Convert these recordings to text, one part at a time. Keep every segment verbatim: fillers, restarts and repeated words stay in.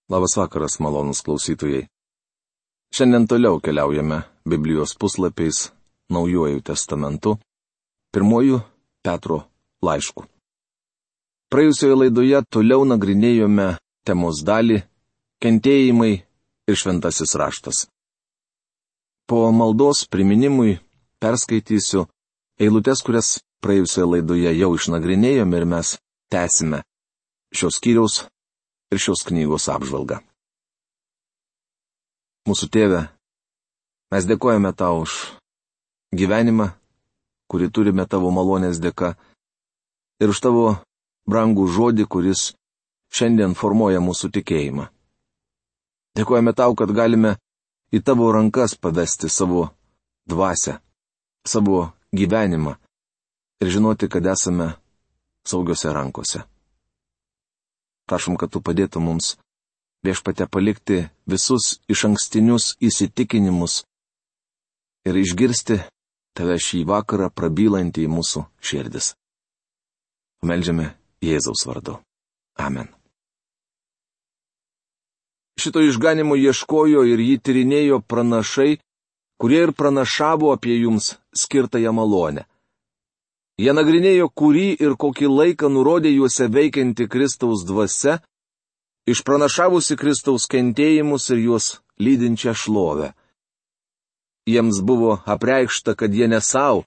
Labas vakaras, malonūs klausytojai. Šiandien toliau keliaujame Biblijos puslapiais Naujuoju testamentu, pirmuoju Petro laišku. Praėjusioje laidoje toliau nagrinėjome temos dalį kentėjimai ir šventasis raštas. Po maldos priminimui perskaitysiu eilutes, kurias praėjusioje laidoje jau išnagrinėjome ir mes tęsime šios skyriaus ir šios knygos apžvalgą. Mūsų Tėve, mes dėkojame Tau už gyvenimą, kurį turime Tavo malonės dėka, ir už Tavo brangų žodį, kuris šiandien formuoja mūsų tikėjimą. Dėkojame Tau, kad galime į Tavo rankas pavesti savo dvasią, savo gyvenimą ir žinoti, kad esame saugiose rankose. Prašom, kad Tu padėtum mums Viešpatie palikti visus išankstinius įsitikinimus ir išgirsti Tave šį vakarą prabylantį į mūsų širdis. Meldžiame Jėzaus vardu. Amen. Šito išganimo ieškojo ir jį tyrinėjo pranašai, kurie ir pranašavo apie jums skirtąją malonę. Jie nagrinėjo, kurį ir kokį laiką nurodė juose veikianti Kristaus dvasia, išpranašavusi Kristaus kentėjimus ir juos lydinčią šlovę. Jiems buvo apreikšta, kad jie ne savo,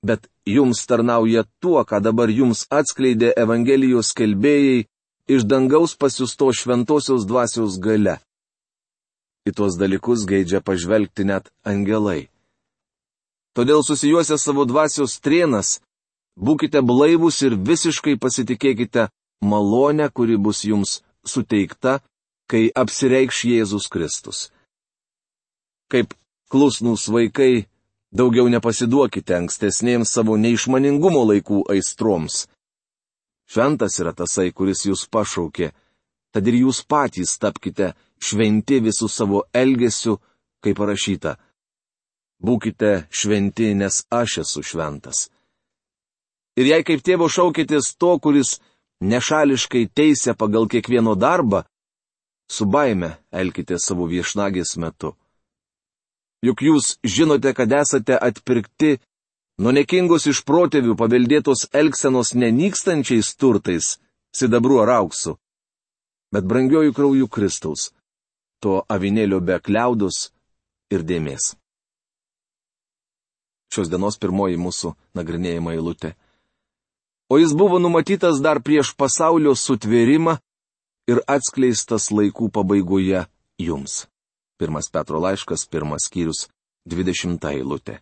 bet jums tarnauja tuo, ką dabar jums atskleidė Evangelijos skelbėjai iš dangaus pasiusto šventosios dvasios galia. Į tuos dalykus geidžia pažvelgti net angelai. Todėl susijuosę savo dvasios trėnas, būkite blaivūs ir visiškai pasitikėkite malonę, kuri bus jums suteikta, kai apsireikš Jėzus Kristus. Kaip klusnūs vaikai, daugiau nepasiduokite ankstesnėms savo neišmaningumo laikų aistroms. Šventas yra tasai, kuris jūs pašaukė, tad ir jūs patys tapkite šventi visų savo elgesiu, kaip parašyta. Būkite šventi, nes aš esu šventas. Ir jei kaip tėvo šaukėtės to, kuris nešališkai teisia pagal kiekvieno darbą, su baime elkite savo viešnagės metu. Juk jūs žinote, kad esate atpirkti nuo nekingos iš protėvių paveldėtos elgsenos nenykstančiais turtais, sidabru ar auksu, bet brangiojų krauju Kristaus, to avinėlio be kliaudos ir dėmės. Šios dienos pirmoji mūsų nagrinėjama eilutė. O jis buvo numatytas dar prieš pasaulio sutvėrimą ir atskleistas laikų pabaigoje jums. Pirmas Petro laiškas, pirmas skyrius, dvidešimta eilutė.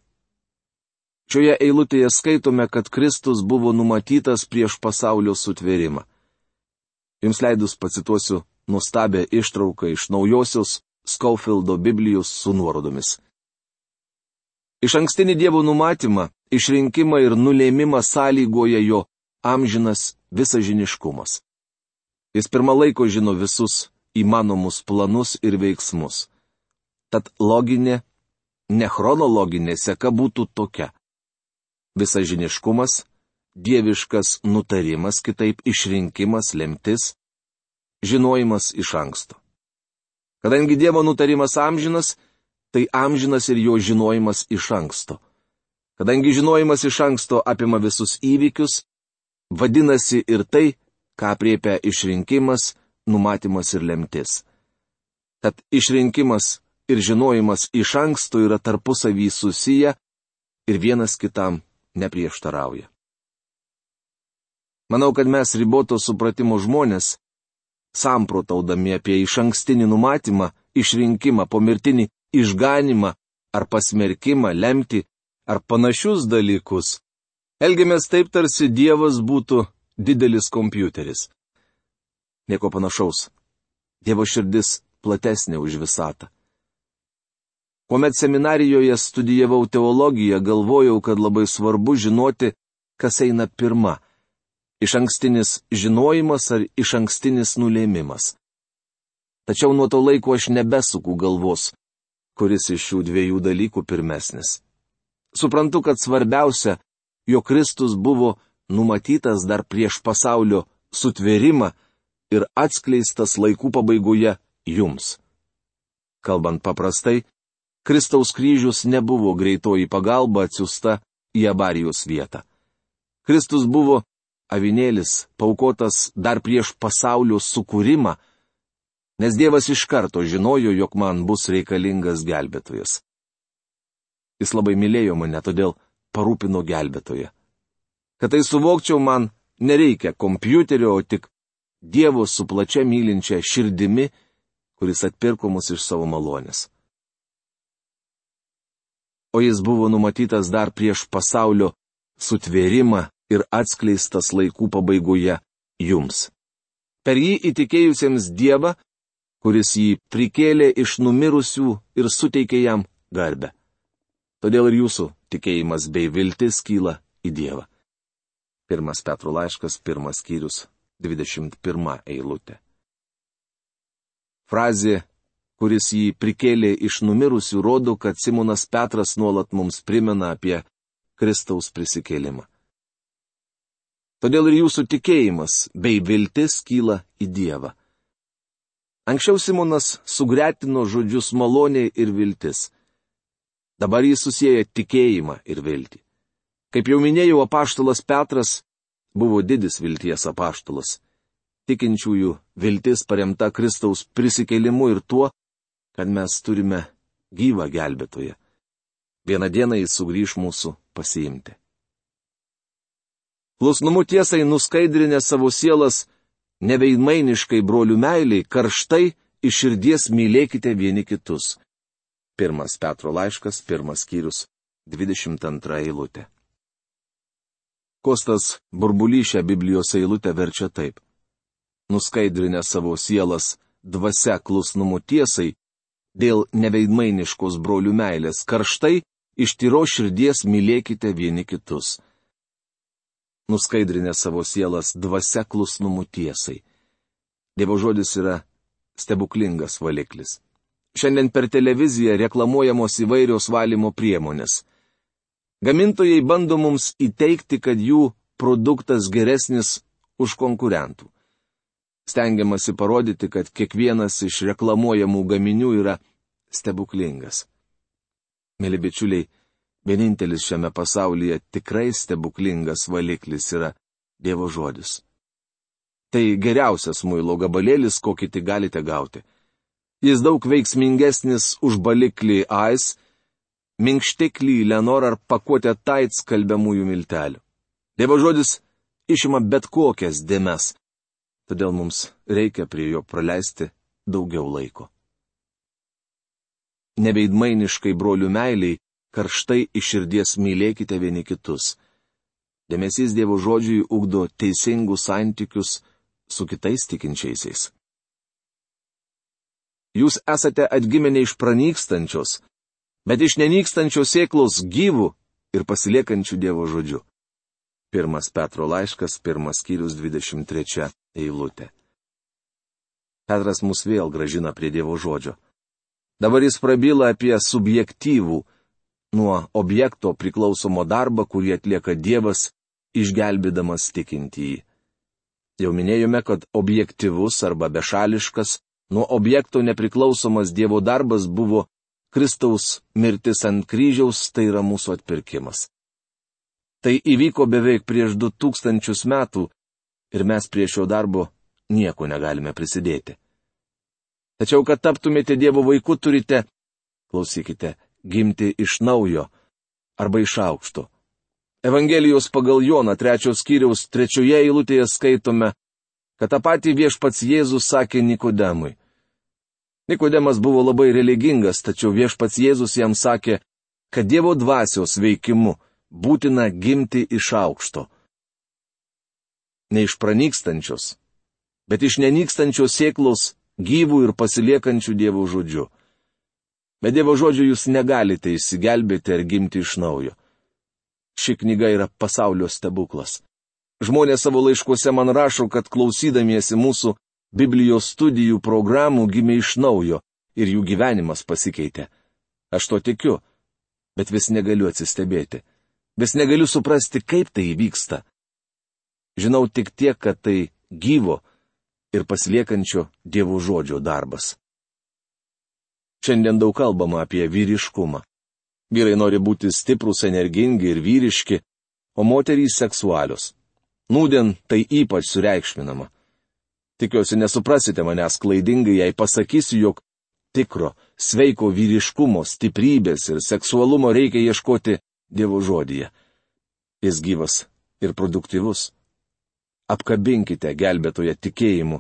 Šioje eilutėje skaitome, kad Kristus buvo numatytas prieš pasaulio sutvėrimą. Jums leidus pacituosiu nuostabią ištrauką iš naujosios Scofieldo Biblijos su nuorodomis. Iš ankstinį Dievo numatymą, išrinkimą ir nulėmimą sąlygoja jo amžinas visažiniškumas. Jis pirmą laiko žino visus įmanomus planus ir veiksmus. Tad loginė, ne chronologinė seka būtų tokia. Visažiniškumas, dieviškas nutarimas, kitaip išrinkimas, lemtis, žinojimas iš anksto. Kadangi Dievo nutarimas amžinas, tai amžinas ir jo žinojimas iš anksto. Kadangi žinojimas iš anksto apima visus įvykius, vadinasi ir tai, ką apriepia išrinkimas, numatymas ir lemtis. Tad išrinkimas ir žinojimas iš anksto yra tarpusavy susiję ir vienas kitam neprieštarauja. Manau, kad mes riboto supratimo žmonės, samprotaudami apie išankstinį numatymą, išrinkimą, pomirtinį išganimą ar pasmerkimą, lemtį ar panašius dalykus, elgiamės taip, tarsi Dievas būtų didelis kompiuteris. Nieko panašaus. Dievo širdis platesnė už visatą. Kuomet seminarijoje studijavau teologiją, galvojau, kad labai svarbu žinoti, kas eina pirma - išankstinis žinojimas ar išankstinis nulėmimas. Tačiau nuo to laiko aš nebesuku galvos, kuris iš šių dviejų dalykų pirmesnis. Suprantu, kad svarbiausia, jog Kristus buvo numatytas dar prieš pasaulio sutvėrimą ir atskleistas laikų pabaigoje jums. Kalbant paprastai, Kristaus kryžius nebuvo greitoji pagalba atsiųsta į avarijos vietą. Kristus buvo avinėlis, paukotas dar prieš pasaulio sukūrimą, nes Dievas iš karto žinojo, jog man bus reikalingas gelbėtojas. Jis labai mylėjo mane, todėl parūpino gelbėtoją. Kad tai suvokčiau, man nereikia kompiuterio, o tik Dievo su plačia mylinčia širdimi, kuris atpirko mus iš savo malonės. O jis buvo numatytas dar prieš pasaulio sutvėrimą ir atskleistas laikų pabaigoje jums. Per jį įtikėjusiems Dievą, kuris jį prikėlė iš numirusių ir suteikė jam garbę. Todėl ir jūsų tikėjimas bei viltis kyla į Dievą. Pirmas Petro laiškas, pirmas skyrius, dvidešimt pirma eilutė. Frazė, kuris jį prikėlė iš numirusių, rodo, kad Simonas Petras nuolat mums primena apie Kristaus prisikėlimą. Todėl ir jūsų tikėjimas bei viltis kyla į Dievą. Anksčiau Simonas sugretino žodžius malonė ir viltis. Dabar jis susieja tikėjimą ir viltį. Kaip jau minėjau, apaštalas Petras buvo didis vilties apaštalas. Tikinčiųjų viltis paremta Kristaus prisikėlimu ir tuo, kad mes turime gyvą gelbėtoją. Vieną dieną jis sugrįš mūsų pasiimti. Klusnumu tiesai nuskaidrinę savo sielas, neveidmainiškai brolių meiliai, karštai iš širdies mylėkite vieni kitus. Pirmas Petro laiškas, pirmas skyrius, dvidešimt antra eilutė. Kostas Burbulys šią Biblijos eilutę verčia taip. Nuskaidrinę savo sielas dvasia klusnumu tiesai, dėl neveidmainiškos brolių meilės, karštai iš tyros širdies mylėkite vieni kitus. Nuskaidrinę savo sielas dvasia klusnumu tiesai. Dievo žodis yra stebuklingas valiklis. Šiandien per televiziją reklamuojamos įvairios valymo priemonės. Gamintojai bando mums įteikti, kad jų produktas geresnis už konkurentų. Stengiamasi parodyti, kad kiekvienas iš reklamuojamų gaminių yra stebuklingas. Mėly bičiuliai, vienintelis šiame pasaulyje tikrai stebuklingas valiklis yra Dievo žodis. Tai geriausias muilo gabalėlis, kokį tik galite gauti. Jis daug veiksmingesnis už baliklį Ais, minkštiklį Lenor ar pakuotę Tide skalbiamųjų miltelių. Dievo žodis išima bet kokias dėmes, todėl mums reikia prie jo praleisti daugiau laiko. Neveidmainiškai brolių meiliai, karštai iš širdies mylėkite vieni kitus. Dėmesys Dievo žodžiui ugdo teisingus santykius su kitais tikinčiaisiais. Jūs esate atgimę ne iš pranykstančios, bet iš nenykstančios sėklos gyvų ir pasiliekančių Dievo žodžiu. Pirmas Petro laiškas, pirmas skyrius, dvidešimt trečia eilutė. Petras mus vėl gražina prie Dievo žodžio. Dabar jis prabyla apie subjektyvų, nuo objekto priklausomo darbą, kurį atlieka Dievas, išgelbėdamas tikintįjį. Jau minėjome, kad objektyvus arba bešališkas, nuo objekto nepriklausomas Dievo darbas buvo Kristaus mirtis ant kryžiaus, tai yra mūsų atpirkimas. Tai įvyko beveik prieš du tūkstančius metų ir mes prie šio darbo nieko negalime prisidėti. Tačiau, kad taptumėte Dievo vaiku, turite, klausykite, gimti iš naujo arba iš aukšto. Evangelijos pagal Joną trečios skyriaus trečioje eilutėje skaitome, kad tą patį viešpats Jėzus sakė Nikodemui. Nikodemas buvo labai religingas, tačiau viešpats Jėzus jam sakė, kad Dievo dvasios veikimu būtina gimti iš aukšto. Ne iš pranykstančios, bet iš nenykstančios sėklos gyvų ir pasiliekančių Dievo žodžiu. Be Dievo žodžių jūs negalite išsigelbėti ar gimti iš naujo. Ši knyga yra pasaulio stebuklas. Žmonės savo laiškuose man rašo, kad klausydamiesi mūsų Biblijos studijų programų gimė iš naujo ir jų gyvenimas pasikeitė. Aš to tikiu, bet vis negaliu atsistebėti. Vis negaliu suprasti, kaip tai įvyksta. Žinau tik tiek, kad tai gyvo ir pasiliekančio Dievo žodžio darbas. Šiandien daug kalbama apie vyriškumą. Vyrai nori būti stiprūs, energingi ir vyriški, o moterys seksualios. Nūdien tai ypač sureikšminama. Tikiuosi nesuprasite manęs klaidingai, jei pasakysiu, jog tikro, sveiko vyriškumo, stiprybės ir seksualumo reikia ieškoti Dievo žodyje. Jis gyvas ir produktyvus. Apkabinkite gelbėtoje tikėjimu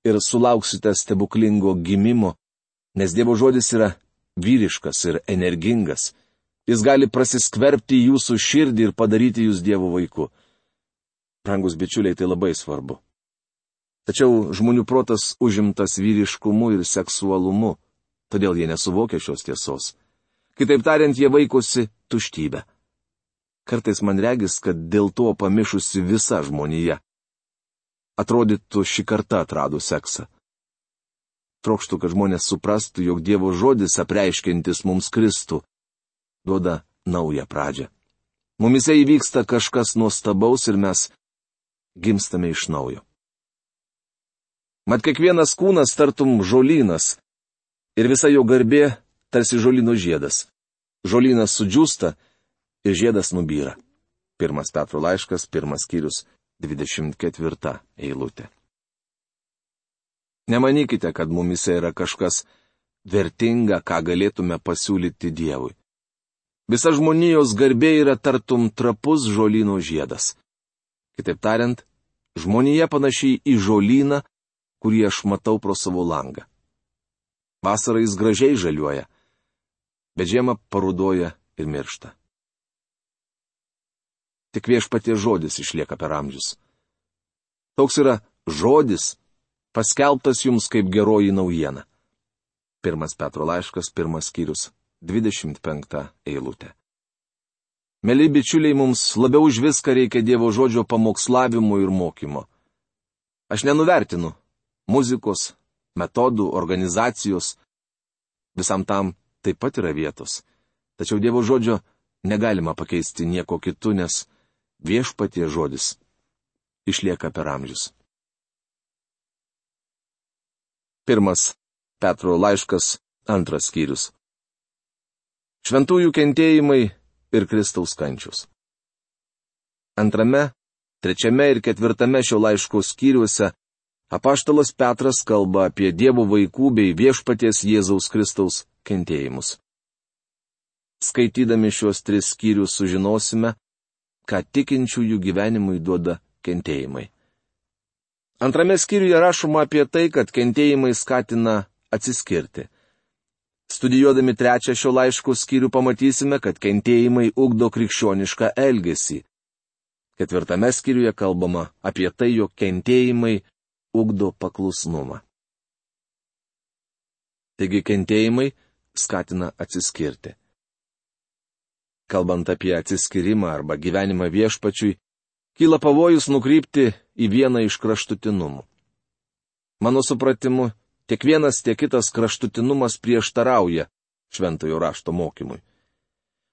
ir sulauksite stebuklingo gimimo, nes Dievo žodis yra vyriškas ir energingas. Jis gali prasiskverbti į jūsų širdį ir padaryti jūs Dievo vaiku. Brangus bičiuliai, tai labai svarbu. Tačiau žmonių protas užimtas vyriškumu ir seksualumu, todėl jie nesuvokia šios tiesos. Kitaip tariant, jie vaikosi tuštybę. Kartais man regis, kad dėl to pamišusi visa žmonija. Atrodytų, šį kartą atrado seksą. Trokštų, kad žmonės suprastų, jog Dievo žodis apreiškiantis mums Kristų duoda naują pradžią. Mumise įvyksta kažkas nuostabaus ir mes gimstame iš naujo. Mat kiekvienas kūnas tartum žolynas ir visa jo garbė tarsi žolyno žiedas. Žolynas sudžiūsta ir žiedas nubyra. Pirmas Petro laiškas, pirmas skyrius, dvidešimt ketvirta eilutė. Nemanykite, kad mumise yra kažkas vertinga, ką galėtume pasiūlyti Dievui. Visa žmonijos garbė yra tartum trapus žolyno žiedas. Kitaip tariant, žmonija panašiai į žolyną, kurį aš matau pro savo langą. Vasarą jis gražiai žaliuoja, bet žiemą parudoja ir miršta. Tik Viešpaties žodis išlieka per amžius. Toks yra žodis, paskelbtas jums kaip geroji naujiena. Pirmas Petro laiškas, pirmas skyrius, dvidešimt penkta eilutė. Mėly bičiuliai, mums labiau už viską reikia Dievo žodžio pamokslavimo ir mokymo. Aš nenuvertinu muzikos, metodų, organizacijos. Visam tam taip pat yra vietos. Tačiau Dievo žodžio negalima pakeisti nieko kitu, nes Viešpaties žodis išlieka per amžius. Pirmas Petro laiškas, antras skyrius. Šventųjų kentėjimai ir Kristaus kančius. Antrame, trečiame ir ketvirtame šio laiško skyriuose apaštalas Petras kalba apie Dievo vaikų bei Viešpaties Jėzaus Kristaus kentėjimus. Skaitydami šios tris skyrius sužinosime, ką tikinčiųjų gyvenimui duoda kentėjimai. Antrame skyriuje rašoma apie tai, kad kentėjimai skatina atsiskirti. Studijuodami trečią šio laiško skyrių pamatysime, kad kentėjimai ugdo krikščionišką elgesį. Ketvirtame skyriuje kalbama apie tai, jog kentėjimai ugdo paklusnumą. Taigi kentėjimai skatina atsiskirti. Kalbant apie atsiskyrimą arba gyvenimą Viešpačiui, kyla pavojus nukrypti į vieną iš kraštutinumų. Mano supratimu, tiek vienas, tiek kitas kraštutinumas prieštarauja šventojo rašto mokymui.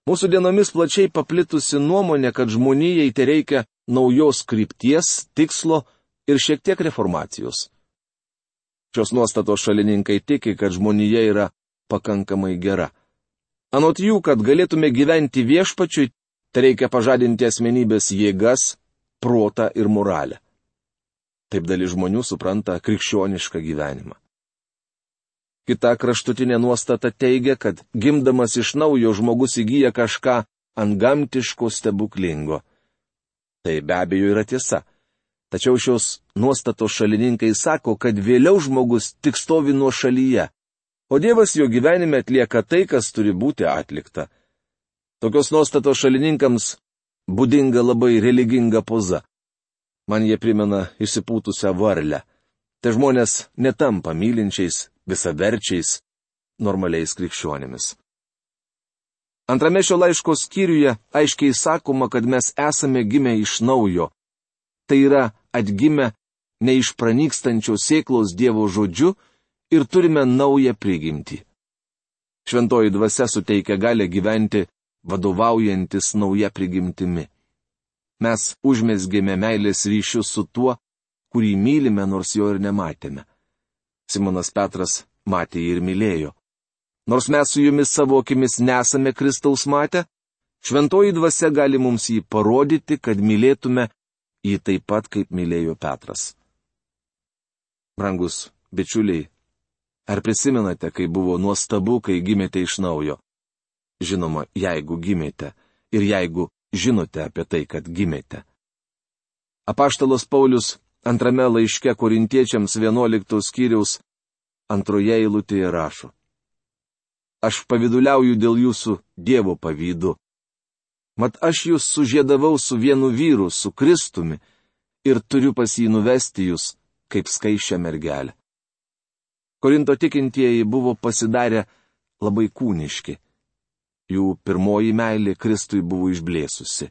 Mūsų dienomis plačiai paplitusi nuomonė, kad žmonijai tereikia naujos krypties, tikslo ir šiek tiek reformacijos. Šios nuostatos šalininkai tiki, kad žmonija yra pakankamai gera. Anot jų, kad galėtume gyventi Viešpačiui, tai reikia pažadinti asmenybės jėgas, protą ir moralę. Taip dalis žmonių supranta krikščionišką gyvenimą. Kita kraštutinė nuostata teigia, kad gimdamas iš naujo žmogus įgyja kažką antgamtiško stebuklingo. Tai be abejo yra tiesa. Tačiau šios nuostatos šalininkai sako, kad vėliau žmogus tik stovi nuo šalyje, o Dievas jo gyvenime atlieka tai, kas turi būti atlikta. Tokios nuostatos šalininkams būdinga labai religinga poza. Man jie primena išsipūtusią varlę. Tai žmonės netampa mylinčiais, visaverčiais, normaliais krikščionimis. Antrame šio laiško skyriuje aiškiai sakoma, kad mes esame gimę iš naujo. Tai yra atgimę ne iš pranykstančios sėklos Dievo žodžiu ir turime naują prigimtį. Šventoji dvasia suteikia galę gyventi vadovaujantis nauja prigimtimi. Mes užmezgėme meilės ryšius su tuo, kurį mylime, nors jo ir nematėme. Simonas Petras matė ir mylėjo. Nors mes su jumis savo akimis nesame Kristaus matę, šventoji dvasia gali mums jį parodyti, kad mylėtume jį taip pat, kaip mylėjo Petras. Brangus bičiuliai, ar prisimenate, kai buvo nuostabu, kai gimėte iš naujo? Žinoma, jeigu gimėte ir jeigu žinote apie tai, kad gimėte. Apaštalas Paulius antrame laiške Korintiečiams vienuoliktos skyriaus antroje eilutėje rašo: Aš pavyduliauju dėl jūsų Dievo pavydu. Mat aš jūs sužiedavau su vienu vyru, su Kristumi, ir turiu pas jį nuvesti jūs, kaip skaičią mergelę. Korinto tikintieji buvo pasidarę labai kūniški. Jų pirmoji meilė Kristui buvo išblėsusi.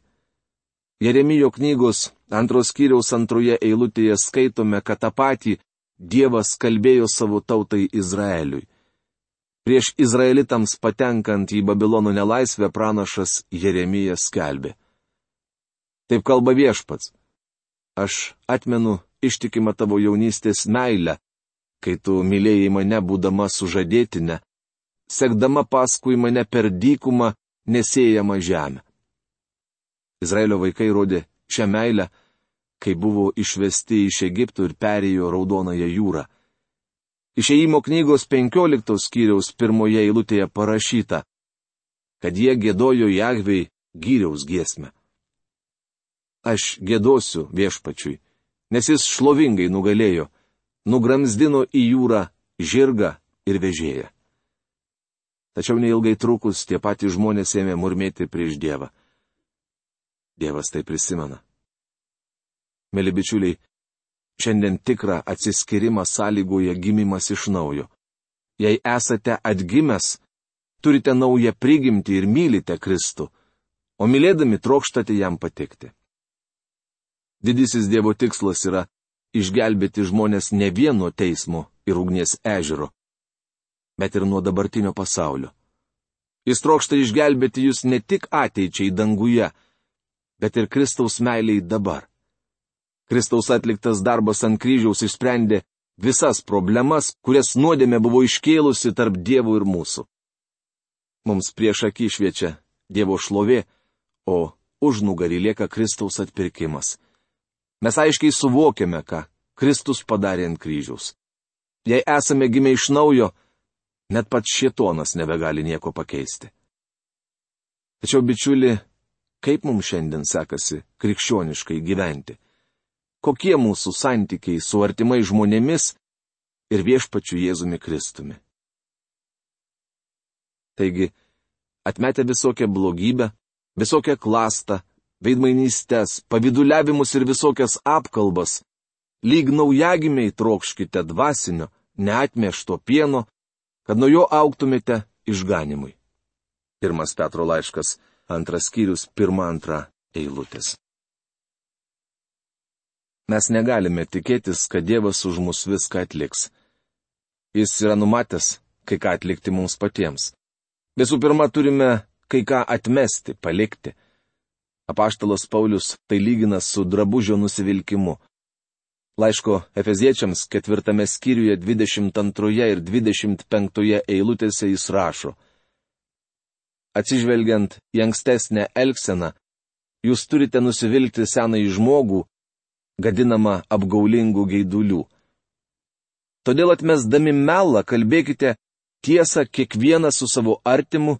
Jeremijo knygos antros skyriaus antroje eilutėje skaitome, kad tą patį Dievas kalbėjo savo tautai Izraeliui. Prieš izraelitams patenkant į Babilono nelaisvę pranašas Jeremijas skelbė: Taip kalba Viešpats. Aš atmenu ištikimą tavo jaunystės meilę, kai tu mylėjai mane būdama sužadėtinė, sekdama paskui mane per dykumą nesėjamą žemę. Izraelio vaikai rodė šią meilę, kai buvo išvesti iš Egipto ir perėjo Raudonąją jūrą. Išėjimo knygos penkioliktos skyriaus pirmoje eilutėje parašyta, kad jie giedojo Jahvei gyriaus giesmę. Aš giedosiu Viešpačiui, nes jis šlovingai nugalėjo, nugramzdino į jūrą žirgą ir vežėją. Tačiau neilgai trukus tie patys žmonės ėmė murmėti prieš Dievą. Dievas tai prisimena. Mėly bičiuliai, šiandien tikrą atsiskyrimą sąlygoja gimimas iš naujo. Jei esate atgimęs, turite naują prigimtį ir mylite Kristų, o mylėdami trokštate jam patikti. Didysis Dievo tikslas yra išgelbėti žmonės ne vien nuo teismo ir ugnies ežero, bet ir nuo dabartinio pasaulio. Jis trokšta išgelbėti jūs ne tik ateičiai danguje, bet ir Kristaus meiliai dabar. Kristaus atliktas darbas ant kryžiaus išsprendė visas problemas, kurias nuodėmė buvo iškėlusi tarp Dievo ir mūsų. Mums prieš akį šviečia Dievo šlovė, o už nugarį lieka Kristaus atpirkimas. Mes aiškiai suvokiame, ką Kristus padarė ant kryžiaus. Jei esame gimę iš naujo, net pats šėtonas nebegali nieko pakeisti. Tačiau, bičiuli, kaip mums šiandien sekasi krikščioniškai gyventi? Kokie mūsų santykiai su artimai žmonėmis ir Viešpačiu Jėzumi Kristumi? Taigi, atmetę visokią blogybę, visokią klastą, veidmainystės, pavyduliavimus ir visokias apkalbas, lyg naujagimiai trokškite dvasinio, neatmiešto pieno, kad nuo jo augtumėte išganimui. Pirmas Petro laiškas, antras skyrius, pirma antra eilutės. Mes negalime tikėtis, kad Dievas už mus viską atliks. Jis yra numatęs kai ką atlikti mums patiems. Visų pirma, turime kai ką atmesti, palikti. Apaštalas Paulius tai lygina su drabužio nusivilkimu. Laiško Efeziečiams ketvirtame skyriuje dvidešimt antroje ir dvidešimt penktoje eilutėse jis rašo: Atsižvelgiant į ankstesnę elgseną, jūs turite nusivilkti senąjį žmogų, gadinama apgaulingų geidulių. Todėl atmesdami melą kalbėkite tiesą kiekvienas su savo artimu,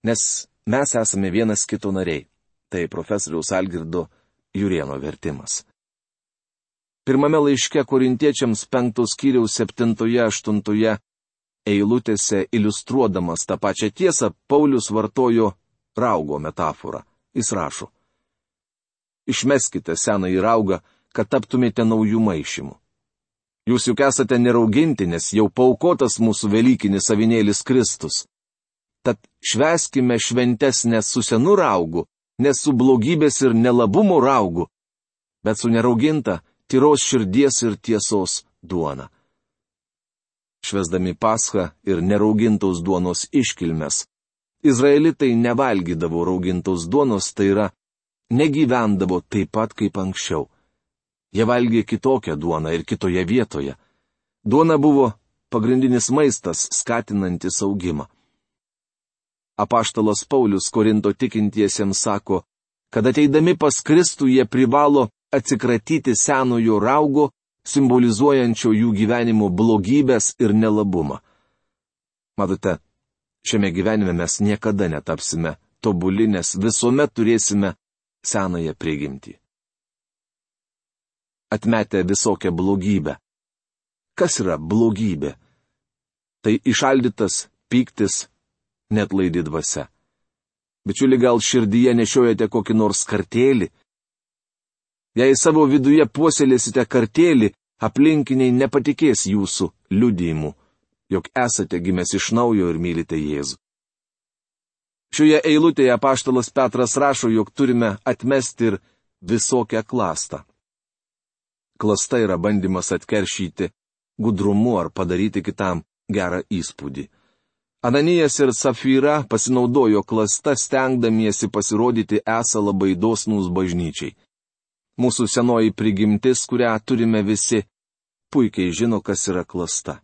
nes mes esame vienas kito nariai. Tai profesoriaus Algirdo Jurėno vertimas. Pirmame laiške Korintiečiams penktos skyriaus septintoje aštuntoje eilutėse iliustruodamas tą pačią tiesą, Paulius vartojo raugo metaforą. Jis rašo: Išmeskite senąjį raugą, kad taptumėte naujų maišymų. Jūs juk esate nerauginti, nes jau paukotas mūsų velykinis avinėlis Kristus. Tad švęskime šventes ne su senu raugu, ne su blogybės ir nelabumo raugu, bet su nerauginta, tyros širdies ir tiesos duona. Švęsdami Paschą ir neraugintos duonos iškilmes, izraelitai nevalgydavo raugintos duonos, tai yra, negyvendavo taip pat kaip anksčiau. Jie valgė kitokią duoną ir kitoje vietoje. Duona buvo pagrindinis maistas, skatinantis augimą. apaštalas Paulius Korinto tikintiesiems sako, kad ateidami pas Kristų jie privalo atsikratyti senojo raugo, simbolizuojančio jų gyvenimo blogybės ir nelabumą. Matote, šiame gyvenime mes niekada netapsime tobuli, nes visuomet turėsime senąją prigimtį. Atmetę visokią blogybę. Kas yra blogybė? Tai išaldytas pyktis, net laidi dvasia. Bičiuli, gal širdyje nešiojate kokį nors kartėlį? Jei savo viduje puoselėsite kartėlį, aplinkiniai nepatikės jūsų liudijimu, jog esate gimęs iš naujo ir mylite Jėzų. Šioje eilutėje apaštalas Petras rašo, jog turime atmesti ir visokią klastą. Klasta yra bandymas atkeršyti gudrumu ar padaryti kitam gerą įspūdį. Ananijas ir Safyra pasinaudojo klasta, stengdamiesi pasirodyti esą labai dosnūs bažnyčiai. Mūsų senoji prigimtis, kurią turime visi, puikiai žino, kas yra klasta.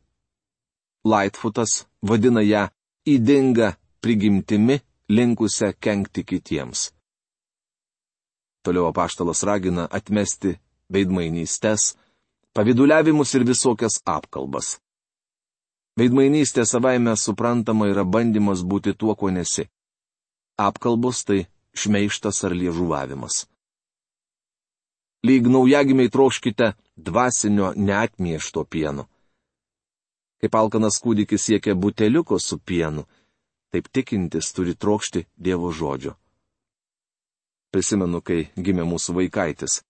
Lightfootas vadina ją ydinga prigimtimi, linkusią kenkti kitiems. Toliau apaštalas ragina atmesti veidmainystes, paviduliavimus ir visokias apkalbas. Veidmainystė savaime suprantama yra bandymas būti tuo, ko nesi. Apkalbos tai šmeižtas ar liežuvavimas. Lyg naujagimiai trokškite dvasinio neatmiešto pieno. Kaip alkanas kūdikis siekia buteliuko su pienu, taip tikintis turi trokšti Dievo žodžio. Prisimenu, kai gimė mūsų vaikaitis.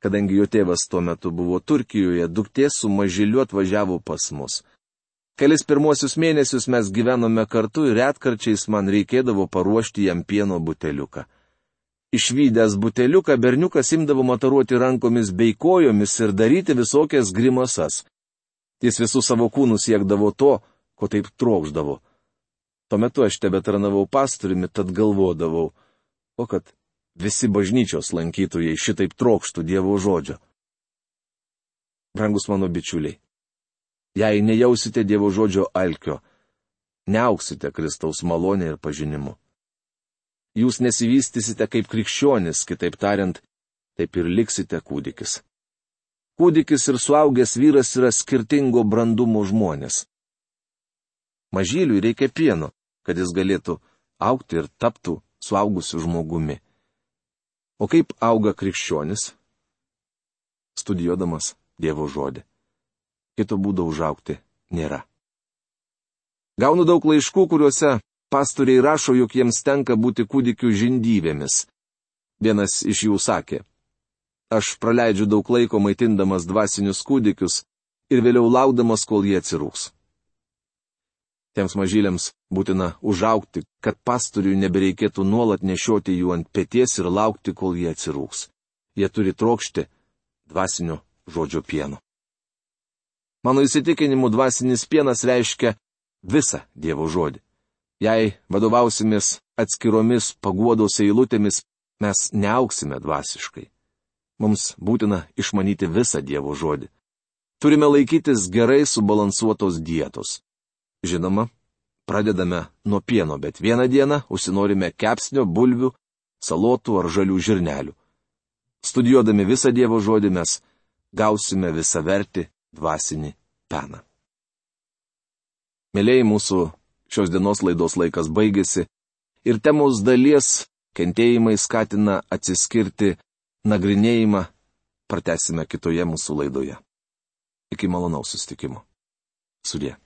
Kadangi jo tėvas tuo metu buvo Turkijoje, duktė su mažyliu atvažiavo pas mus. Kelis pirmuosius mėnesius mes gyvenome kartu ir retkarčiais man reikėdavo paruošti jam pieno buteliuką. Išvydęs buteliuką, berniukas imdavo mataruoti rankomis bei kojomis ir daryti visokias grimasas. Jis visų savo kūnų siekdavo to, ko taip trokšdavo. Tuo metu aš tebetarnavau pastoriumi, tad galvodavau, o kad visi bažnyčios lankytojai šitaip trokštų Dievo žodžio. Brangus mano bičiuliai, jei nejausite Dievo žodžio alkio, neauksite Kristaus malonę ir pažinimu. Jūs nesivystysite kaip krikščionis, kitaip tariant, taip ir liksite kūdikis. Kūdikis ir suaugęs vyras yra skirtingo brandumo žmonės. Mažyliui reikia pieno, kad jis galėtų augti ir taptų suaugusiu žmogumi. O kaip auga krikščionis? Studijuodamas Dievo žodį. Kito būdo užaugti nėra. Gaunu daug laiškų, kuriuose pastoriai rašo, jog jiems tenka būti kūdikių žindyvėmis. Vienas iš jų sakė, aš praleidžiu daug laiko maitindamas dvasinius kūdikius ir vėliau laukdamas, kol jie atsirūks. Tiems mažyliams būtina užaugti, kad pastoriui nebereikėtų nuolat nešioti jų ant peties ir laukti, kol jie atsirūks. Jie turi trokšti dvasinio žodžio pieno. Mano įsitikinimu, dvasinis pienas reiškia visą Dievo žodį. Jei vadovausimės atskiromis paguodos eilutėmis, mes neauksime dvasiškai. Mums būtina išmanyti visą Dievo žodį. Turime laikytis gerai subalansuotos dietos. Žinoma, pradedame nuo pieno, bet vieną dieną užsinorime kepsnio, bulvių, salotų ar žalių žirnelių. Studijuodami visą Dievo žodį mes gausime visavertį dvasinį peną. Mėlyjei, mūsų šios dienos laidos laikas baigėsi ir temos dalies kentėjimai skatina atsiskirti nagrinėjimą pratęsime kitoje mūsų laidoje. Iki malonaus susitikimo. Sudie.